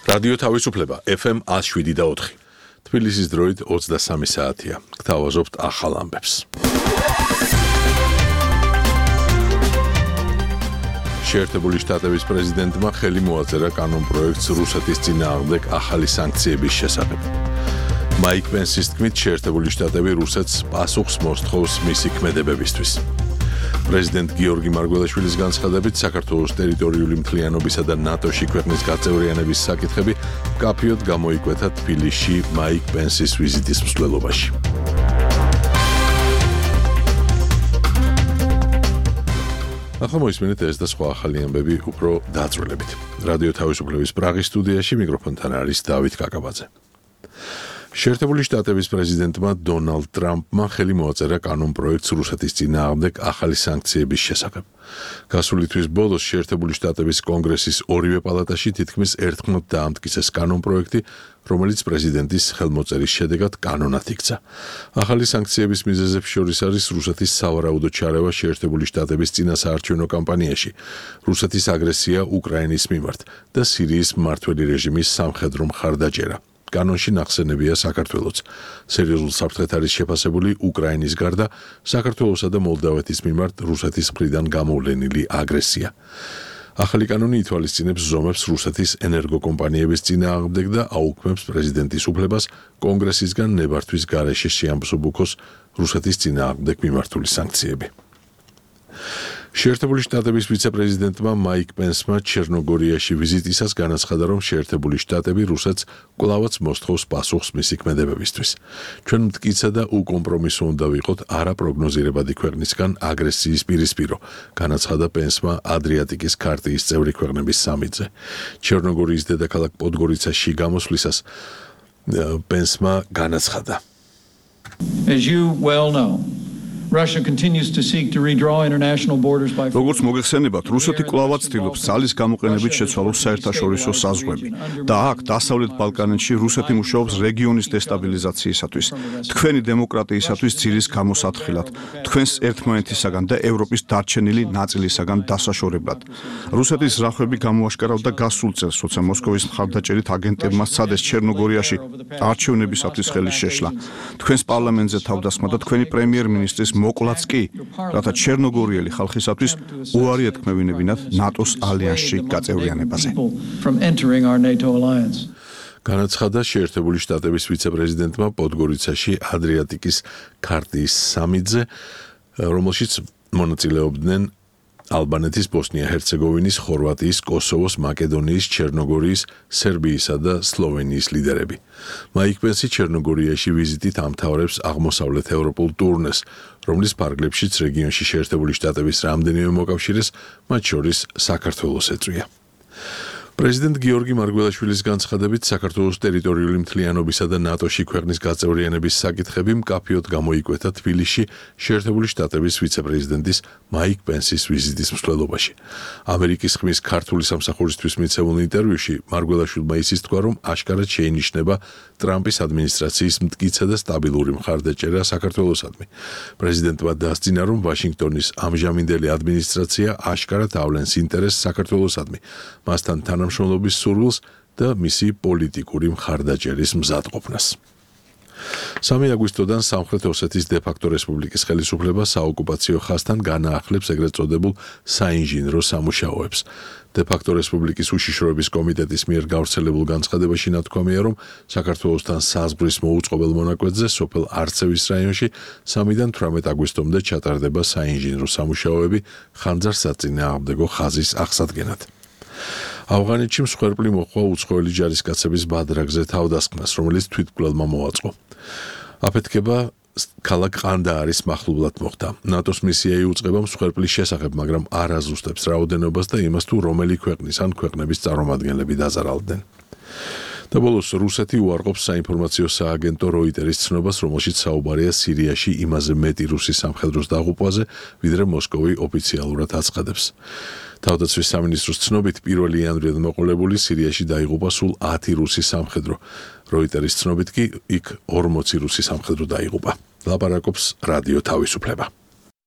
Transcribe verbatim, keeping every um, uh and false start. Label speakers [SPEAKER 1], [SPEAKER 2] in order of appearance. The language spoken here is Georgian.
[SPEAKER 1] რადიო თავისუფლება ეფ ემ one oh seven და four. თბილისის დროით ოცდასამი საათია. გთავაზობთ ახალ ამბებს. შეერთებული შტატების პრეზიდენტმა ხელი მოაწერა კანონპროექტს რუსეთის წინააღმდეგ ახალი სანქციების შესახებ. მაიკ პენსის თქმით, შეერთებული შტატები რუსეთს პასუხს მოსთხოვს მისი ქმედებებისთვის. პრეზიდენტ გიორგი მარგველაშვილის განცხადებით, საქართველოს ტერიტორიული მთლიანობისა და ნატოში ქვეყნის გაწევრიანების საკითხები მკაფიოდ გამოიკვეთა თბილისში მაიკ პენსის ვიზიტის მსვლელობაში. ახლა მოისმენთ ეს და სხვა ახალი ამბები უფრო დაწვრილებით. რადიო თავისუფლების პრაღის სტუდიაში მიკროფონთან არის დავით კაკაბაძე. შეერთებული შტატების პრეზიდენტმა დონალდ ტრამპმა ხელი მოაწერა კანონპროექტს რუსეთის წინააღმდეგ ახალი სანქციების შესახებ. გასული თვის ბოლოს შეერთებული შტატების კონგრესის ორივე პალატაში თითქმის ერთხმად დაამტკიცეს კანონპროექტი, რომელიც პრეზიდენტის ხელმოწერის შედეგად კანონად იქცა. ახალი სანქციების მიზეზებს შორის არის რუსეთის სავარაუდო ჩარევა შეერთებული შტატების წინასაარჩევნო კამპანიაში, რუსეთის აგრესია უკრაინის მიმართ და სირიის მმართველი რეჟიმის სამხედრო მხარდაჭერა. კანონში ნახსენებია საქართველოც. სერიოზულ საფრთხეთ არის შეფასებული უკრაინის გარდა საქართველოსა და მოლდავეთის მიმართ რუსეთის მხრიდან გამოვლენილი აგრესია. ახალი კანონი ითვალისწინებს ზომებს რუსეთის ენერგოკომპანიების წინააღმდეგ და აუქმებს პრეზიდენტის უფლებას კონგრესისგან ნებართვის გარეშე შეამბსობუქოს რუსეთის წინააღმდეგ მიმართული სანქციები. შეერთებული შტატების ვიცე-პრეზიდენტმა მაიკ პენსმა ჩერნოგორიაში ვიზიტისას განაცხადა, რომ შეერთებული შტატები რუსეთს კვლავაც მოსთხოვს პასუხს მისი ქმედებებისთვის. ჩვენ მტკიცე და უკომპრომისო უნდა ვიყოთ არაპროგნოზირებადი ქვეყნისგან აგრესიის პირისპირო, განაცხადა პენსმა ადრიატიკის ქარტიის წევრი ქვეყნების სამიტზე. ჩერნოგორიის დედაქალაქ პოდგორიცაში გამოსვლისას პენსმა განაცხადა.
[SPEAKER 2] As you well know, Russia continues to seek to redraw international borders by
[SPEAKER 3] როგორც მოგეხსენებათ, რუსეთი კვლავაც ცდილობს ძალის გამოყენებით შეცვალოს საერთაშორისო საზღვრები და აქ დასავლეთ ბალკანეთში რუსეთი მუშაობს რეგიონის დესტაბილიზაციისათვის, თქვენი დემოკრატიისათვის ძირის გამოსათხილად, თქვენს ერთმანეთისაგან და ევროპის დარჩენილი ნაწილისაგან დასაშორებლად. რუსეთის ზრახვები გამოაშკარავდა გასულ წელს, როცა მოსკოვის მხარდაჭერით აგენტებმა სცადეს ჩერნოგორიაში არჩევნებისათვის ხელის შეშლა. თქვენს პარლამენტზე თავდასხმა და თქვენი პრემიერ-მინისტრის მოკლაც კი, რათა ჩერნოგორიელი ხალხისათვის უარი ეთქმევინებინათ ნატოს ალიანსში გაწევრიანებაზე.
[SPEAKER 1] განაცხადა შეერთებული შტატების ვიცე-პრეზიდენტმა პოდგორიცაში ადრიატიკის ქარტიის სამიტზე, რომელშიც მონაწილეობდნენ ალბანეთის, ბოსნია-ჰერცეგოვინის, ხორვატიის, კოსოვოს, მაკედონიის, ჩერნოგორიის, სერბიისა და სლოვენიის ლიდერები. მაიკ პენსი ჩერნოგორიაში ვიზიტით ამთავრებს აღმოსავლეთ ევროპულ ტურნეს, რომლის ფარგლებშიც რეგიონში შეერთებული შტატების რამდენიმე მოკავშირეს, მათ შორის საქართველოს ეწვია. პრეზიდენტ გიორგი მარგველაშვილის განცხადებით, საქართველოს ტერიტორიული მთლიანობისა და ნატოში ქვეყნის გაწევრიანების საკითხები მკაფიოდ გამოიკვეთა თბილისში შეერთებული შტატების ვიცე-პრეზიდენტის მაიკ პენსის ვიზიტის მსვლელობაში. ამერიკის ხმის ქართული სამსახურისთვის მიცემულ ინტერვიუში მარგველაშვილმა ისიც თქვა, რომ აშკარად შეინიშნება ტრამპის ადმინისტრაციის მტკიცე და სტაბილური მხარდაჭერა საქართველოსადმი. პრეზიდენტმა დასძინა, რომ ვაშინგტონის ამჟამინდელი ადმინისტრაცია აშკარად ავლენს ინტერესს საქართველოსადმი, მასთან თანამშრომლობის სურვილს და მისი პოლიტიკური მხარდაჭერის მზადყოფნას. სამი აგვისტოდან სამხრეთ ოსეთის დე-ფაქტო რესპუბლიკის ხელისუფლება საოკუპაციო ხაზთან განაახლებს ეგრეთ წოდებულ საინჟინრო სამუშაოებს. დე-ფაქტო რესპუბლიკის უშიშროების კომიტეტის მიერ გავრცელებულ განცხადებაში ნათქვამია, რომ საქართველოსთან საზღვრის მოუწყობელ მონაკვეთზე სოფელ არცევის რაიონში სამიდან თვრამეტ აგვისტომდე ჩატარდება საინჟინრო სამუშაოები ხანძარსაწინააღმდეგო ხაზის აღსადგენად. ავღანეთში მსხვერპლი მოჰყვა უცხოელი ჯარისკაცების ბადრაგზე თავდასხმას, რომელიც თვითმკვლელმა მოაწყო. აფეთქება ქალაქ ყანდაარის მახლობლად მოხდა. ნატოს მისია იუწყება მსხვერპლის შესახებ, მაგრამ არ აზუსტებს რაოდენობას და იმას, თუ რომელი ქვეყნის ან ქვეყნების წარმომადგენლები დაზარალდნენ. და ბოლოს რუსეთი უარყოფს საინფორმაციო სააგენტო როიტერის ცნობას, რომელშიც საუბარია სირიაში იმაზე მეტი რუსი სამხედროს დაღუპვაზე, ვიდრე მოსკოვი ოფიციალურად აცხადებს. თავდაცვის სამინისტროს ცნობით პირველი იანვრიდან მოყოლებული სირიაში დაიღუპა სულ ათი რუსი სამხედრო. როიტერის ცნობით კი იქ ორმოცი რუსი სამხედრო დაიღუპა. ლაპარაკობს რადიო თავისუფლება.